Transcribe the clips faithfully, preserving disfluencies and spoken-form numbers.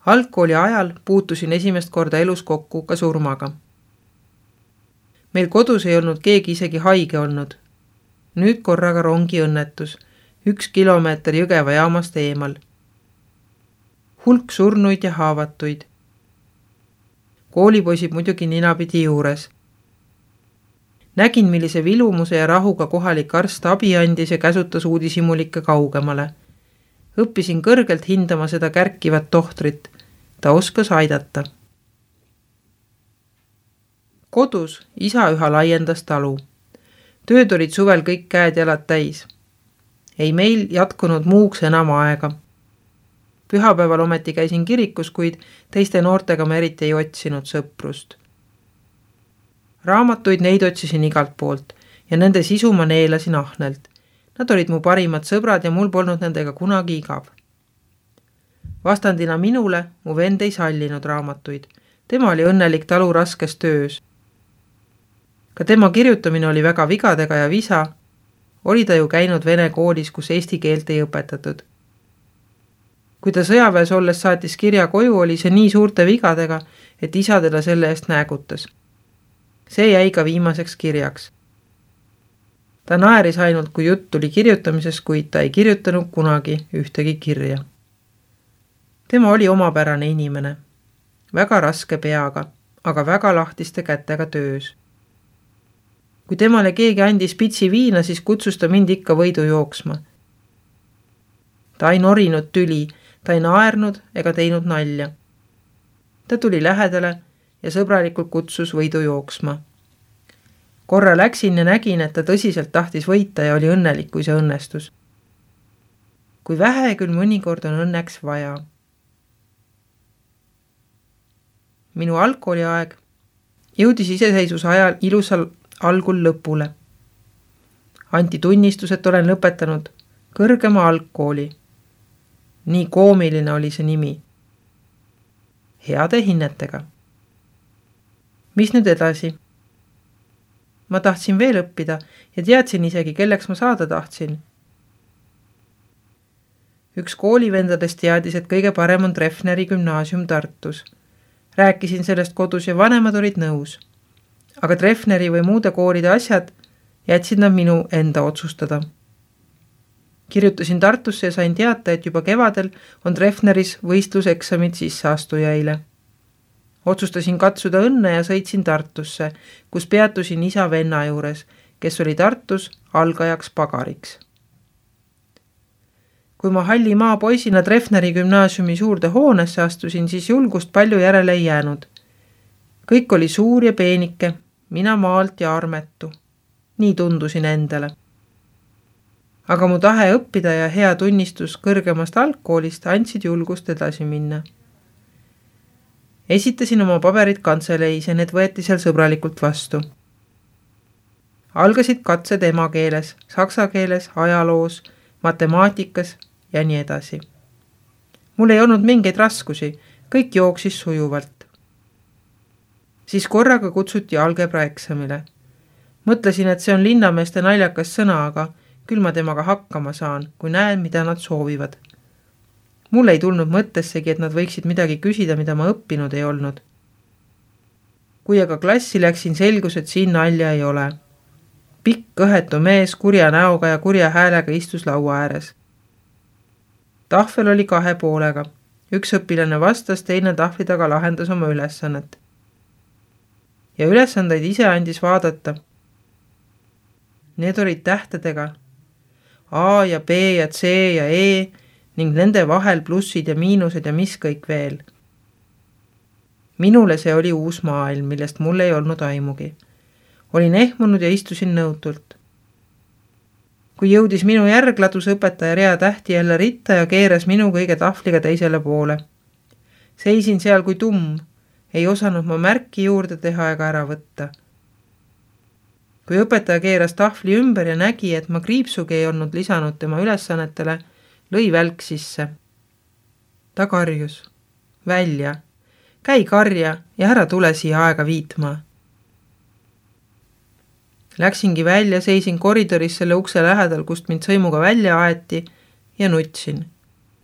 Algkooli ajal puutusin esimest korda elus kokku ka surmaga. Meil kodus ei olnud keegi isegi haige olnud. Nüüd korraga rongi õnnetus, üks kilomeeter Jõgeva jaamast eemal. Hulk surnuid ja haavatuid. Koolipoisid muidugi ninapidi juures. Nägin, millise vilumuse ja rahuga kohalik arst abi andis ja käsutas uudishimulikke kaugemale. Õppisin kõrgelt hindama seda kärkivat tohtrit. Ta oskas aidata. Kodus isa üha laiendas talu. Tööd olid suvel kõik käed jalad täis. Ei meil jatkunud muuks enam aega. Pühapäeval ometi käisin kirikus, kuid teiste noortega me eriti ei otsinud sõprust. Raamatuid neid otsisin igalt poolt ja nende sisu ma neelasin ahnelt. Nad olid mu parimad sõbrad ja mul polnud nendega kunagi igav. Vastandina minule mu vend ei sallinud raamatuid. Tema oli õnnelik talu raskes töös. Ka tema kirjutamine oli väga vigadega ja visa. Oli ta ju käinud vene koolis, kus eesti keelt ei õpetatud. Kui ta sõjaväes olles saatis kirja koju, oli see nii suurte vigadega, et isa teda selle eest näägutas. See jäi ka viimaseks kirjaks. Ta naeris ainult, kui jutt tuli kirjutamisest, kuid ta ei kirjutanud kunagi ühtegi kirja. Tema oli omapärane inimene. Väga raske peaga, aga väga lahtiste kätega töös. Kui temale keegi andis pitsi viina, siis kutsus ta mind ikka võidu jooksma. Ta ei norinud tüli, ta ei naernud ega teinud nalja. Ta tuli lähedale ja sõbralikult kutsus võidu jooksma. Korra läksin ja nägin, et ta tõsiselt tahtis võita ja oli õnnelik, kui see õnnestus. Kui vähe küll mõnikord on õnneks vaja. Minu algkooli aeg jõudis iseseisvuse ajal ilusal algul lõpule. Anti tunnistus, et olen lõpetanud kõrgema algkooli. Nii koomiline oli see nimi. Heade hinnetega. Mis nüüd edasi? Ma tahtsin veel õppida ja teadsin isegi, kelleks ma saada tahtsin. Üks koolivendadest teadis, et kõige parem on Treffneri gümnaasium Tartus. Rääkisin sellest kodus ja vanemad olid nõus. Aga Treffneri või muude koolide asjad jätsid nad minu enda otsustada. Kirjutasin Tartusse ja sain teata, et juba kevadel on Treffneris võistluseksamid sisseastujaile. Otsustasin katsuda õnne ja sõitsin Tartusse, kus peatusin isa venna juures, kes oli Tartus algajaks pagariks. Kui ma halli maa poisina Treffneri gümnaasiumi suurde hoonesse astusin, siis julgust palju järele ei jäänud. Kõik oli suur ja peenike, mina maalt ja armetu. Nii tundusin endale. Aga mu tahe õppida ja hea tunnistus kõrgemast algkoolist andsid julgust edasi minna. Esitasin oma paberid kantseleis ja need võeti seal sõbralikult vastu. Algasid katsed emakeeles, saksa keeles, ajaloos, matemaatikas ja nii edasi. Mul ei olnud mingeid raskusi, kõik jooksis sujuvalt. Siis korraga kutsuti algebra eksamile. Mõtlesin, et see on linnameeste naljakas sõna, aga küll ma temaga hakkama saan, kui näen, mida nad soovivad. Mul ei tulnud mõttessegi, et nad võiksid midagi küsida, mida ma õppinud ei olnud. Kui aga klassi läksin, selgus, et siin nalja ei ole. Pikk kõhetu mees kurja näoga ja kurja häälega istus laua ääres. Tahvel oli kahe poolega. Üks õpilane vastas, teine tahvli taga lahendas oma ülesannet. Ja ülesandeid ise andis vaadata. Need olid tähtedega. A ja B ja C ja E ning nende vahel plussid ja miinused ja mis kõik veel. Minule see oli uus maailm, millest mul ei olnud aimugi. Olin ehmunud ja istusin nõutult. Kui jõudis minu järg, ladus õpetaja rea tähti jälle ritta ja keeras minu kõige tahvliga teisele poole. Seisin seal kui tumm, ei osanud ma märki juurde teha ega ära võtta. Kui õpetaja keeras tahvli ümber ja nägi, et ma kriipsugi ei olnud lisanud tema ülesannetele, lõi välk sisse. Ta karjus. Välja. Käi karja ja ära tule siia aega viitma. Läksingi välja, seisin koridoris selle ukse lähedal, kust mind sõimuga välja aeti ja nutsin.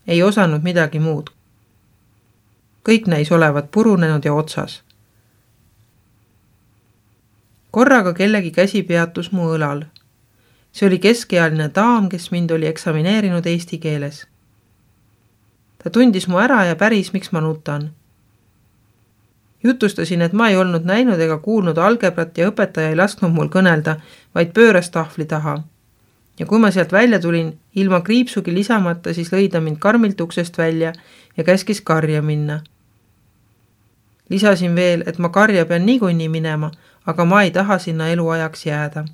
Ei osanud midagi muud. kõik näis olevat purunenud ja otsas. Korraga kellegi käsi peatus mu õlal. See oli keskealine daam, kes mind oli eksamineerinud eesti keeles. Ta tundis mu ära ja päris, miks ma nutan. Jutustasin, et ma ei olnud näinud ega kuulnud algebrat ja õpetaja ei lasknud mul kõnelda, vaid pööras tahvli taha. Ja kui ma sealt välja tulin, ilma kriipsugi lisamata, siis lõi ta mind karmilt uksest välja ja käskis karja minna. Lisasin veel, et ma karja pean niikuinii minema, aga ma ei taha sinna eluajaks jääda.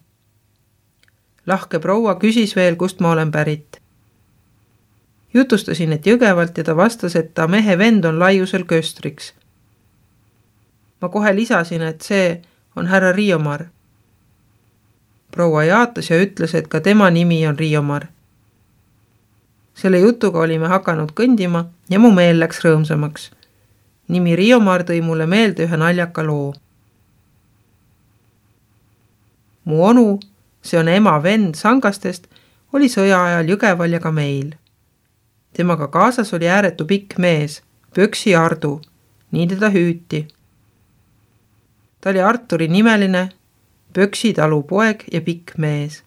Lahke proua küsis veel, kust ma olen pärit. Jutustasin, et Jõgevalt ja ta vastas, et ta mehe vend on laiusel köstriks. Ma kohe lisasin, et see on härra Riiomar. Proua jaatas ja ütles, et ka tema nimi on Riiomar. Selle jutuga olime hakanud kõndima ja mu meel läks rõõmsamaks. Nimi Riiomar tõi mulle meelde ühe naljaka loo. Mu onu, see on ema vend Sangastest, oli sõja ajal Jõgeval ja ka meil. Temaga kaasas oli ääretu pikk mees, Pöksi Ardu, nii teda hüüti. Ta oli Arturi nimeline, Pöksi talu poeg ja pikk mees.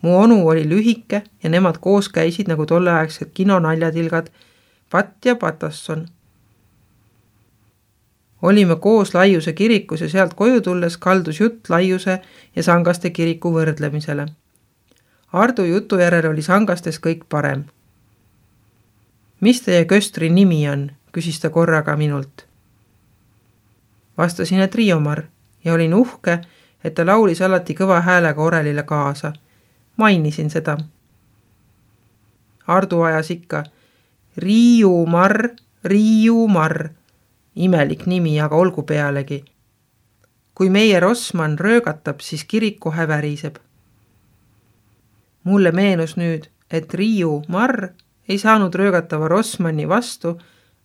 Mu onu oli lühike ja nemad koos käisid nagu tolleaegsed kinonaljatilgad Pat ja Patasson. Olime koos Laiuse kirikus ja sealt koju tulles kaldus jutt Laiuse ja Sangaste kiriku võrdlemisele. Ardu jutu järel oli Sangastes kõik parem. Mis teie köstri nimi on, küsis ta korraga minult. Vastasin, et Riiomar ja olin uhke, et ta laulis alati kõva häälega orelile kaasa. Mainisin seda. Ardu ajas ikka Riiumar, Riiumar. Imelik nimi, aga olgu pealegi. Kui meie Rossmann röögatab, siis kirik kohe väriseb. Mulle meenus nüüd, et Riiumar ei saanud röögatava Rossmanni vastu,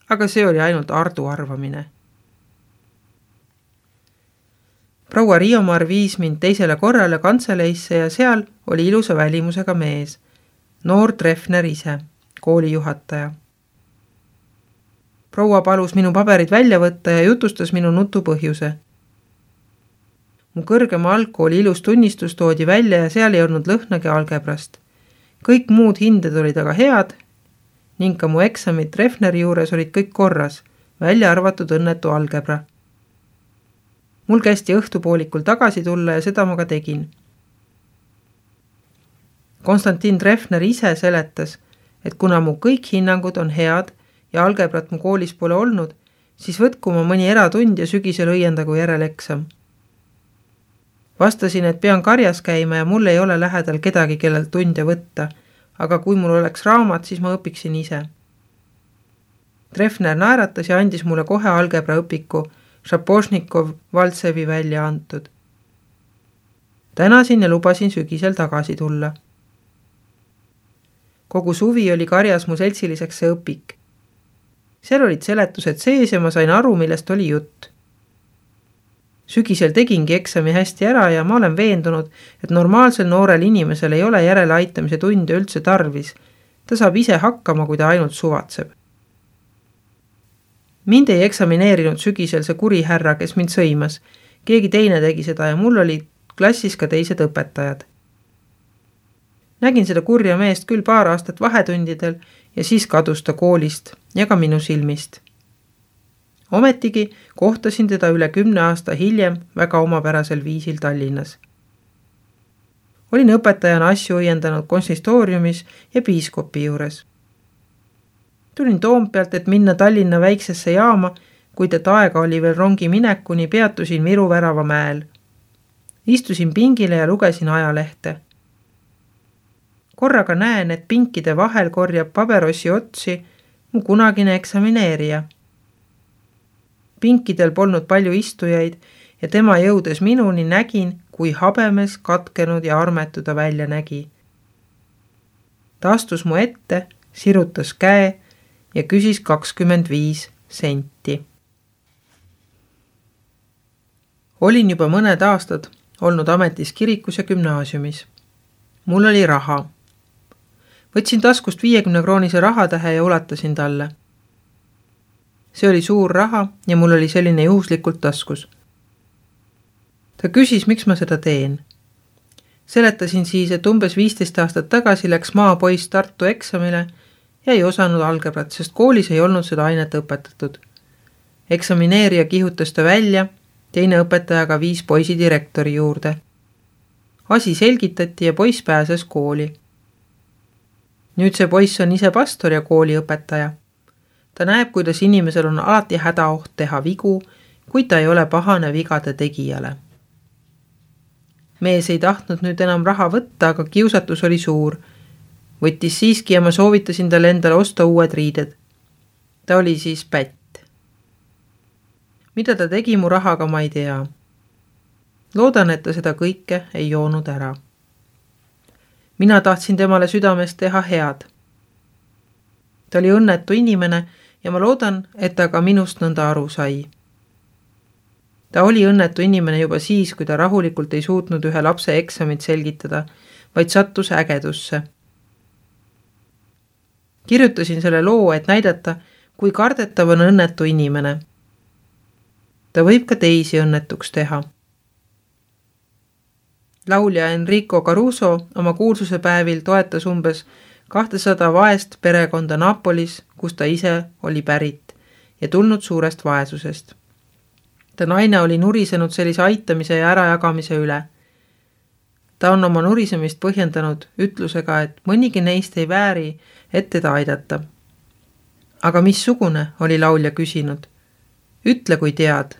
aga see oli ainult Ardu arvamine. Proua Riiomar viis mind teisele korrale kantseleisse ja seal oli ilusa välimusega mees, noor Treffner ise, koolijuhataja. Proua palus minu paberid välja võtta ja jutustas minu nutu põhjuse. Mu kõrgema algkooli ilus tunnistus toodi välja ja seal ei olnud lõhnagi algebrast. Kõik muud hinded olid aga head ning ka mu eksamid Treffneri juures olid kõik korras, välja arvatud õnnetu algebra. Mul kästi õhtupoolikul tagasi tulla ja seda ma ka tegin. Konstantin Treffner ise seletas, et kuna mu kõik hinnangud on head ja algebrat mu koolis pole olnud, siis võtku ma mõni eratund ja sügisel õiendagu järeleksam. Vastasin, et pean karjas käima ja mul ei ole lähedal kedagi, kellelt tunde võtta, aga kui mul oleks raamat, siis ma õpiksin ise. Treffner naeratas ja andis mulle kohe algebra õpiku, Šapošnikov Valtsevi välja antud. Tänasin ja lubasin sügisel tagasi tulla. Kogu suvi oli karjas mu seltsiliseks see õpik. Seal olid seletused sees ja ma sain aru, millest oli jutt. Sügisel tegingi eksami hästi ära ja ma olen veendunud, et normaalsel noorel inimesel ei ole järele aitamise tunde üldse tarvis. Ta saab ise hakkama, kui ta ainult suvatseb. Mind ei eksamineerinud sügisel see kuri härra, kes mind sõimas. Keegi teine tegi seda ja mul oli klassis ka teised õpetajad. Nägin seda kurja meest küll paar aastat vahetundidel ja siis kadus ta koolist ja ka minu silmist. Ometigi kohtasin teda üle kümne aasta hiljem väga omapärasel viisil Tallinnas. Olin õpetajana asju õiendanud konsistooriumis ja piiskopi juures. Tulin Toompealt, et minna Tallinna väiksesse jaama, kuid et aega oli veel rongi minekuni, peatusin Viru Värava mäel. Istusin pingile ja lugesin ajalehte. Korraga näen, et pinkide vahel korjab paberossi otsi mu kunagine eksamineerija. Pinkidel polnud palju istujaid ja tema jõudes minuni nägin, kui habemes, katkenud ja armetu ta välja nägi. Ta astus mu ette, sirutas käe ja küsis kakskümmend viis senti. Olin juba mõned aastad olnud ametis kirikus ja gümnaasiumis. Mul oli raha. Võtsin taskust viiekümne kroonise rahatähe ja ulatasin talle. See oli suur raha ja mul oli selline juhuslikult taskus. Ta küsis, miks ma seda teen. Seletasin siis, et umbes viisteist aastat tagasi läks maapoiss Tartu eksamile ja ei osanud algebrat, sest koolis ei olnud seda ainet õpetatud. Eksamineerija kihutas ta välja, teine õpetajaga viis poisi direktori juurde. Asi selgitati ja poiss pääses kooli. Nüüd see poiss on ise pastor ja kooliõpetaja. Ta näeb, kuidas inimesel on alati hädaoht teha vigu, kuid ta ei ole pahane vigade tegijale. Mees ei tahtnud nüüd enam raha võtta, aga kiusatus oli suur. Võttis siiski ja ma soovitasin talle endale osta uued riided. Ta oli siis pätt. Mida ta tegi mu rahaga, ma ei tea. Loodan, et ta seda kõike ei joonud ära. Mina tahtsin temale südamest teha head. Ta oli õnnetu inimene ja ma loodan, et ta ka minust nõnda aru sai. Ta oli õnnetu inimene juba siis, kui ta rahulikult ei suutnud ühe lapse eksamit selgitada, vaid sattus ägedusse. Kirjutasin selle loo, et näidata, kui kardetav on õnnetu inimene. Ta võib ka teisi õnnetuks teha. Laulja Enrico Caruso oma kuulsuse päevil toetas umbes kahtesada vaest perekonda Napolis, kus ta ise oli pärit ja tulnud suurest vaesusest. Ta naine oli nurisenud sellise aitamise ja ärajagamise üle. Ta on oma nurisemist põhjendanud ütlusega, et mõnigi neist ei vääri, et teda aidata. Aga missugune, oli laulja küsinud. Ütle, kui tead,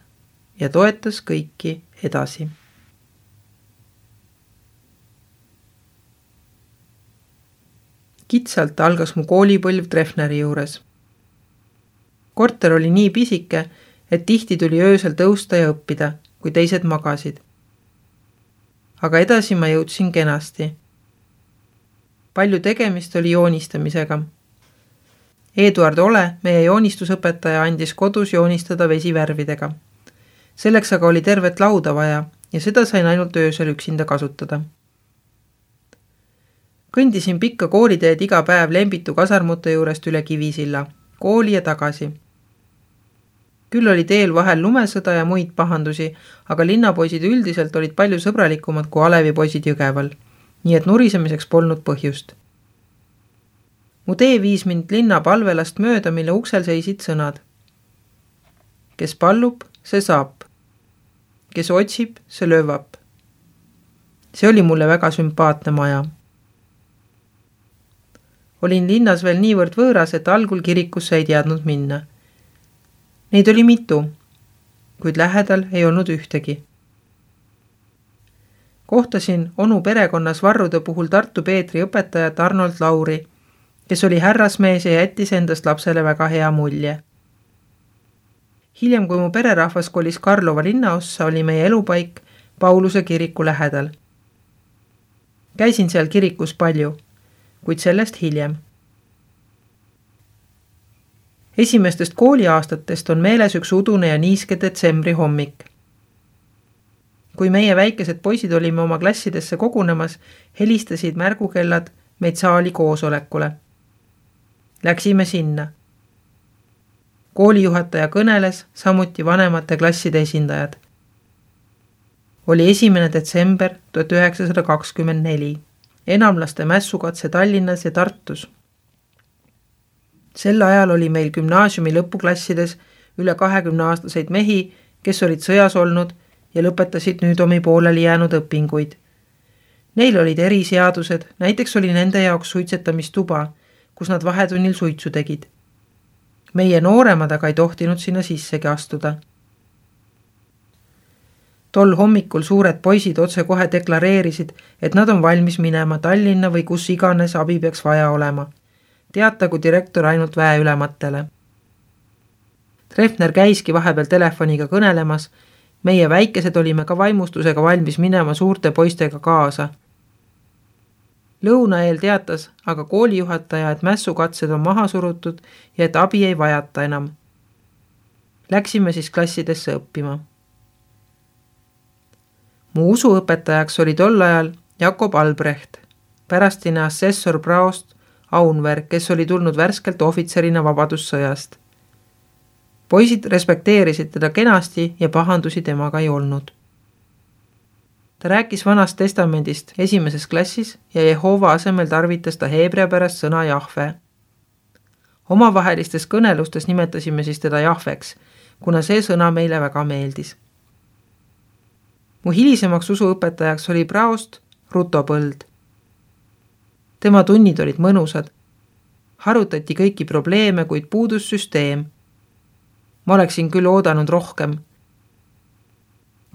ja toetas kõiki edasi. Kitsalt algas mu koolipõlv Treffneri juures. Korter oli nii pisike, et tihti tuli öösel tõusta ja õppida, kui teised magasid. Aga edasi ma jõudsin kenasti. Palju tegemist oli joonistamisega. Eduard Ole, meie joonistusõpetaja, andis kodus joonistada vesivärvidega. Selleks aga oli tervet lauda vaja ja seda sain ainult öösel üksinda kasutada. Kõndisin pikka kooliteed iga päev Lembitu kasarmute juurest üle Kivisilla, kooli ja tagasi. Küll oli teel vahel lumesõda ja muid pahandusi, aga linnapoisid üldiselt olid palju sõbralikumad kui Alevipoisid Jõgeval, nii et nurisemiseks polnud põhjust. Mu tee viis mind linna palvelast mööda, mille uksel seisid sõnad. Kes pallub, see saab. Kes otsib, see löövab. See oli mulle väga sümpaatne maja. Olin linnas veel niivõrd võõras, et algul kirikusse ei teadnud minna. Neid oli mitu, kuid lähedal ei olnud ühtegi. Kohtasin onu perekonnas varrude puhul Tartu Peetri õpetajat Arnold Lauri, kes oli härrasmees ja jättis endast lapsele väga hea mulje. Hiljem, kui mu pererahvas kolis Karlova linnaossa, oli meie elupaik Pauluse kiriku lähedal. Käisin seal kirikus palju, kuid sellest hiljem. Esimestest kooliaastatest on meeles üks udune ja niiske detsembri hommik. Kui meie väikesed poisid olime oma klassidesse kogunemas, helistasid märgukellad meid saali koosolekule. Läksime sinna. Koolijuhataja kõneles, samuti vanemate klasside esindajad. Oli esimene detsember tuhat üheksasada kakskümmend neli. Enamlaste mässukatse Tallinnas ja Tartus. Sel ajal oli meil gümnaasiumi lõpuklassides üle kahekümne aastaseid mehi, kes olid sõjas olnud ja lõpetasid nüüd omi pooleli jäänud õpinguid. Neil olid eriseadused, näiteks oli nende jaoks suitsetamistuba, kus nad vahetunnil suitsu tegid. Meie nooremad aga ei tohtinud sinna sissegi astuda. Tol hommikul suured poisid otse kohe deklareerisid, et nad on valmis minema Tallinna või kus iganes abi peaks vaja olema. Teatagu direktor ainult väe ülematele. Treffner käiski vahepeal telefoniga kõnelemas, meie väikesed olime ka vaimustusega valmis minema suurte poistega kaasa. Lõuna eel teatas aga koolijuhataja, et mässukatsed on maha surutud ja et abi ei vajata enam. Läksime siis klassidesse õppima. Mu usuõpetajaks oli tol ajal Jakob Albrecht, pärastine assessor Braost Aunver, kes oli tulnud värskelt ohvitserina vabadussõjast. Poisid respekteerisid teda kenasti ja pahandusi temaga ei olnud. Ta rääkis Vanast Testamendist esimeses klassis ja Jehova asemel tarvitas ta heebrea pärast sõna Jahve. Omavahelistes kõnelustes nimetasime siis teda Jahveks, kuna see sõna meile väga meeldis. Mu hilisemaks usuõpetajaks oli praost Ruto Põld. Tema tunnid olid mõnusad. Harutati kõiki probleeme, kuid puudus süsteem. Ma oleksin küll oodanud rohkem.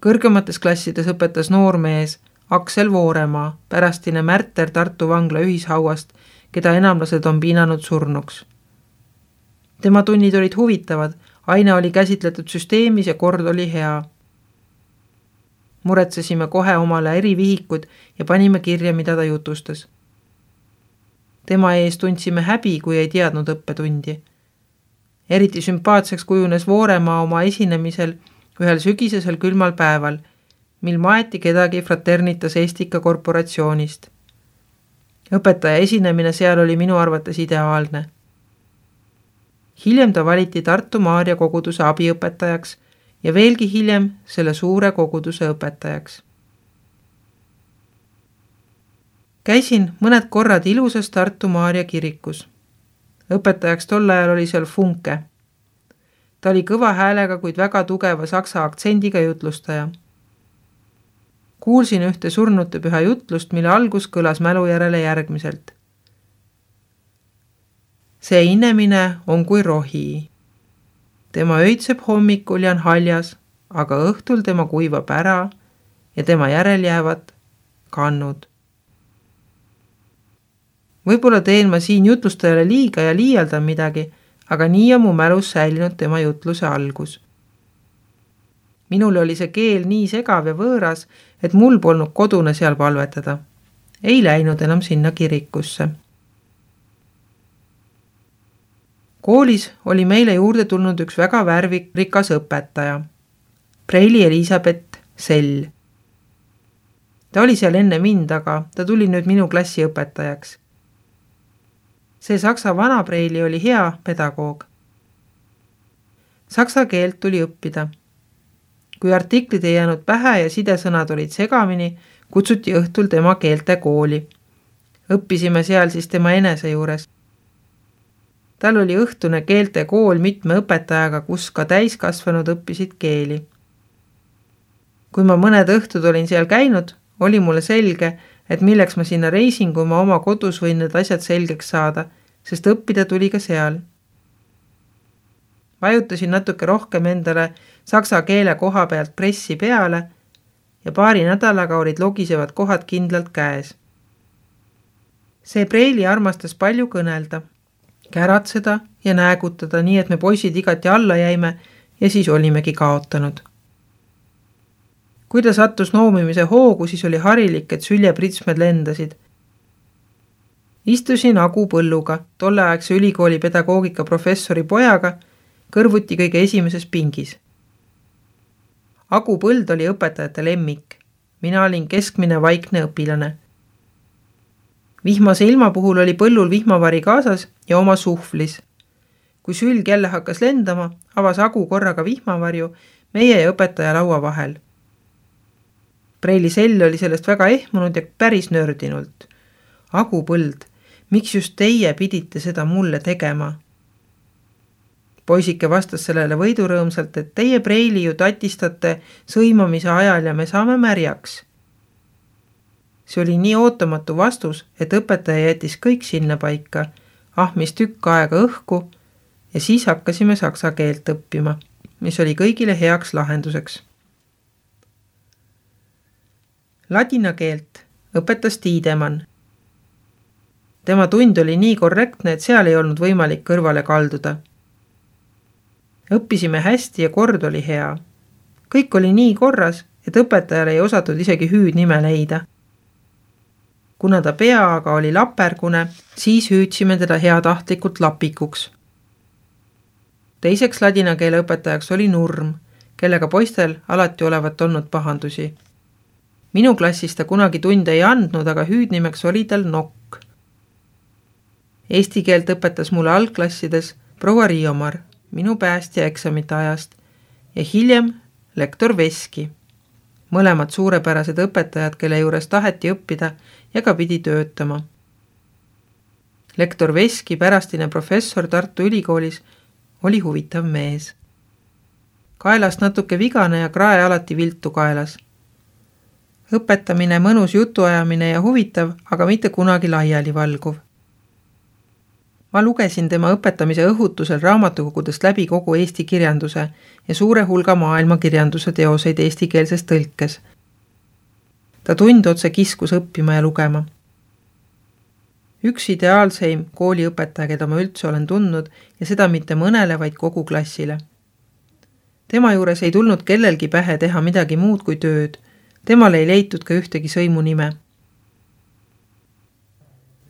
Kõrgemates klassides õpetas noormees Aksel Vooremaa, pärastine märter Tartu vangla ühishauast, keda enamlased on piinanud surnuks. Tema tunnid olid huvitavad, aine oli käsitletud süsteemis ja kord oli hea. Muretsesime kohe omale erivihikud ja panime kirja, mida ta jutustas. Tema ees tundsime häbi, kui ei teadnud õppetundi. Eriti sümpaatseks kujunes Vooremaa oma esinemisel ühel sügisesel külmal päeval, mil maeti kedagi Fraternitas Estica korporatsioonist. Õpetaja esinemine seal oli minu arvates ideaalne. Hiljem ta valiti Tartu Maarja koguduse abiõpetajaks ja veelgi hiljem selle suure koguduse õpetajaks. Käisin mõned korrad ilusas Tartu Maarja kirikus. Õpetajaks tol ajal oli seal Funke. Ta oli kõva häälega, kuid väga tugeva saksa aktsendiga jutlustaja. Kuulsin ühte surnute püha jutlust, mille algus kõlas mälu järele järgmiselt. See inemine on kui rohi. Tema öitseb hommikul ja on haljas, aga õhtul tema kuivab ära ja tema järel jäävad kannud. Võib-olla teen ma siin jutlustajale liiga ja liialdan midagi, aga nii on mu mälus säilinud tema jutluse algus. Minule oli see keel nii segav ja võõras, et mul polnud kodune seal palvetada. Ei läinud enam sinna kirikusse. Koolis oli meile juurde tulnud üks väga värvirikas õpetaja, Preili Elisabeth Sell. Ta oli seal enne mind, aga ta tuli nüüd minu klassi õpetajaks. See saksa vana Preili oli hea pedagoog. Saksa keelt tuli õppida. Kui artiklid ei jäänud pähe ja sidesõnad olid segamini, kutsuti õhtul tema keelte kooli. Õppisime seal siis tema enese juures. Tal oli õhtune keelte kool mitme õpetajaga, kus ka täiskasvanud õppisid keeli. Kui ma mõned õhtud olin seal käinud, oli mulle selge, et milleks ma sinna reisin, kui ma oma kodus võin need asjad selgeks saada, sest õppida tuli ka seal. Vajutasin natuke rohkem endale saksa keele koha pealt pressi peale ja paari nädalaga olid logisevad kohad kindlalt käes. See Preili armastas palju kõnelda, käratseda ja näägutada, nii et me poisid igati alla jäime ja siis olimegi kaotanud. Kui ta sattus noomimise hoogu, siis oli harilik, et süljepritsmed lendasid. Istusin Agu Põlluga, tolleaegse ülikooli pedagoogika professori pojaga, kõrvuti kõige esimeses pingis. Agu Põld oli õpetajate lemmik. Mina olin keskmine vaikne õpilane. Vihmase ilma puhul oli Põllul vihmavari kaasas ja oma suhvlis. Kui sülg jälle hakkas lendama, avas Agu korraga vihmavarju meie ja õpetaja laua vahel. Preili Sell oli sellest väga ehmunud ja päris nördinult. Agu Põld, miks just teie pidite seda mulle tegema? Poisike vastas sellele võidurõõmsalt, et teie Preili ju tatistate sõimamise ajal ja me saame märjaks. See oli nii ootamatu vastus, et õpetaja jättis kõik sinna paika, ahmis tükk aega õhku ja siis hakkasime saksa keelt õppima, mis oli kõigile heaks lahenduseks. Ladina keelt õpetas Tiidemann. Tema tund oli nii korrektne, et seal ei olnud võimalik kõrvale kalduda. Õppisime hästi ja kord oli hea. Kõik oli nii korras, et õpetajale ei osatud isegi hüüdnime leida. Kuna ta pea aga oli lapergune, siis hüüdsime teda heatahtlikult lapikuks. Teiseks ladina keele õpetajaks oli Nurm, kellega poistel alati olevat olnud pahandusi. Minu klassis ta kunagi tunde ei andnud, aga hüüdnimeks oli tal Nokk. Eesti keelt õpetas mulle algklassides proua Riiomar, minu päästja eksamite ajast ja hiljem lektor Veski. Mõlemad suurepärased õpetajad, kelle juures taheti õppida ja ka pidi töötama. Lektor Veski, pärastine professor Tartu Ülikoolis, oli huvitav mees. Kaelast natuke vigane ja krae alati viltu kaelas. Õpetamine, mõnus jutuajamine ja huvitav, aga mitte kunagi laiali valguv. Ma lugesin tema õpetamise õhutusel raamatukogudest läbi kogu Eesti kirjanduse ja suure hulga maailma kirjanduse teoseid eestikeelses tõlkes. Ta tund otse kiskus õppima ja lugema. Üks ideaalseim kooliõpetaja, keda ma üldse olen tundnud ja seda mitte mõnele, vaid kogu klassile. Tema juures ei tulnud kellelgi pähe teha midagi muud kui tööd. Temal ei leitud ka ühtegi sõimu nime.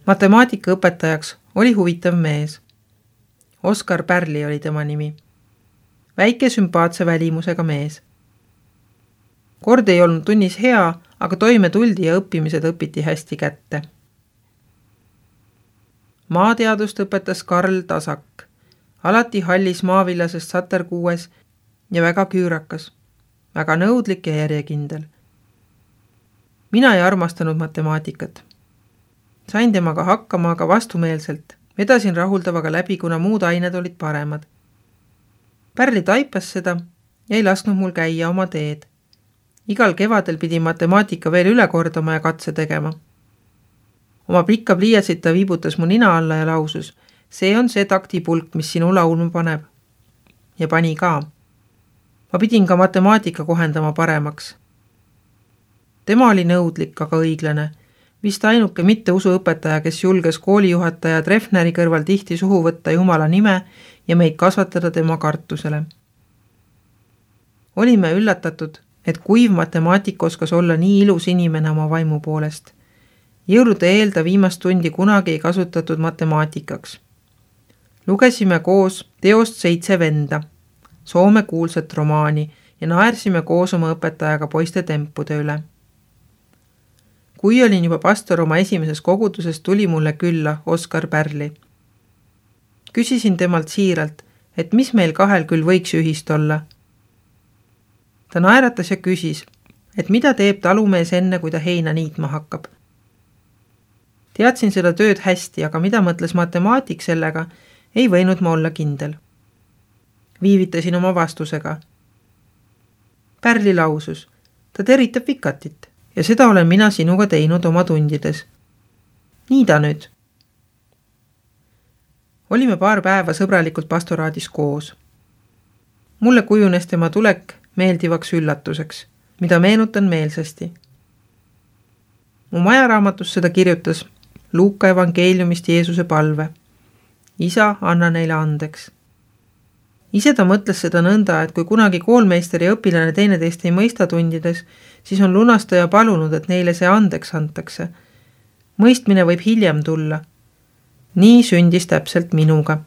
Matemaatikaõpetajaks oli huvitav mees. Oskar Pärli oli tema nimi. Väike sümpaatse välimusega mees. Kord ei olnud tunnis hea, aga toime tuldi ja õppimised õpiti hästi kätte. Maateadust õpetas Karl Tasak, alati hallis maavillasest saterkuues ja väga küürakas, väga nõudlik ja järjekindel. Mina ei armastanud matemaatikat. Sain temaga hakkama, aga vastumeelselt. Vedasin rahuldavaga läbi, kuna muud ained olid paremad. Pärli taipas seda ja ei lasknud mul käia oma teed. Igal kevadel pidi matemaatika veel üle kordama ja katse tegema. Oma pikka pliiatsit ta viibutas mu nina alla ja lausus, see on see taktipulk, mis sinu laulma paneb. Ja pani ka. Ma pidin ka matemaatika kohendama paremaks. Tema oli nõudlik, aga õiglane. Vist ainuke mitte usuõpetaja, kes julges koolijuhataja Treffneri kõrval tihti suhu võtta Jumala nime ja meid kasvatada tema kartusele. Olime üllatatud, et kuiv matemaatik oskas olla nii ilus inimene oma vaimu poolest. Jõulude eel ta viimast tundi kunagi ei kasutatud matemaatikaks. Lugesime koos teost Seitse venda, Soome kuulsat romaani ja naersime koos oma õpetajaga poiste tempude üle. Kui olin juba pastor oma esimeses koguduses, tuli mulle külla Oskar Pärli. Küsisin temalt siiralt, et mis meil kahel küll võiks ühist olla. Ta naeratas ja küsis, et mida teeb talumees enne, kui ta heina niitma hakkab. Teadsin seda tööd hästi, aga mida mõtles matemaatik sellega, ei võinud ma olla kindel. Viivitasin oma vastusega. Pärli lausus, ta teritab vikatit ja seda olen mina sinuga teinud oma tundides. Nii ta nüüd. Olime paar päeva sõbralikult pastoraadis koos. Mulle kujunes tema tulek meeldivaks üllatuseks, mida meenutan meelsasti. Mu majaraamatus seda kirjutas Luuka evangeeliumist Jeesuse palve. Isa, anna neile andeks. Ise ta mõtles seda nõnda, et kui kunagi koolmeister ja õpilane teineteist ei mõista tundides, siis on lunastaja palunud, et neile see andeks antakse. Mõistmine võib hiljem tulla. Nii sündis täpselt minuga.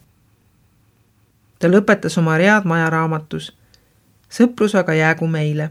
Ta lõpetas oma read majaraamatus. Sõprus aga jäägu meile.